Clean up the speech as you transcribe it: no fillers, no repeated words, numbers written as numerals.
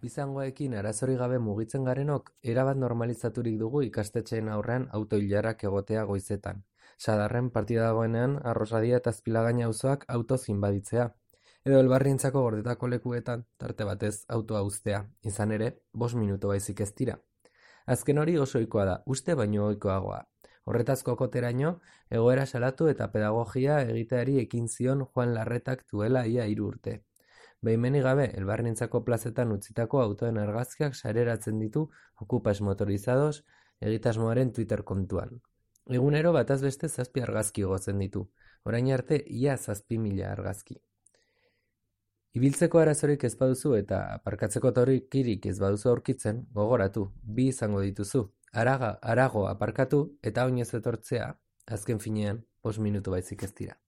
Bizangoekin arazorik gabe mugitzen garenok, erabat normalizaturik dugu ikastetxeen aurrean auto-ilarak egotea goizetan. Sadarren partida dagoenean Arrosadia eta Azpilagaina auzoak autoz inbaditzea. Edo Elbarrientzako gordetako lekuetan, tarte batez autoa uztea. Izan ere, 5 minutu baizik ez dira. Azken hori oso ohikoa da, uste baino ohikoagoa. Horretaz kokoteraino, egoera salatu eta pedagogia egiteari ekin zion Juan Larretak duela ia 3 urte. Behimenik gabe, Elbarrientzako plazetan utzitako autoen argazkiak sareratzen ditu Okupas Motorizados egitasmoaren Twitter kontuan. Egunero bataz beste 7 argazki igotzen ditu, orain arte ia 7.000 argazki. Ibiltzeko arazorik ez baduzu eta aparkatzeko tokirik ez baduzu aurkitzen, gogoratu, 2 izango dituzu. Harago aparkatu eta oinez etortzea, azken finean, 5 minutu baizik ez dira.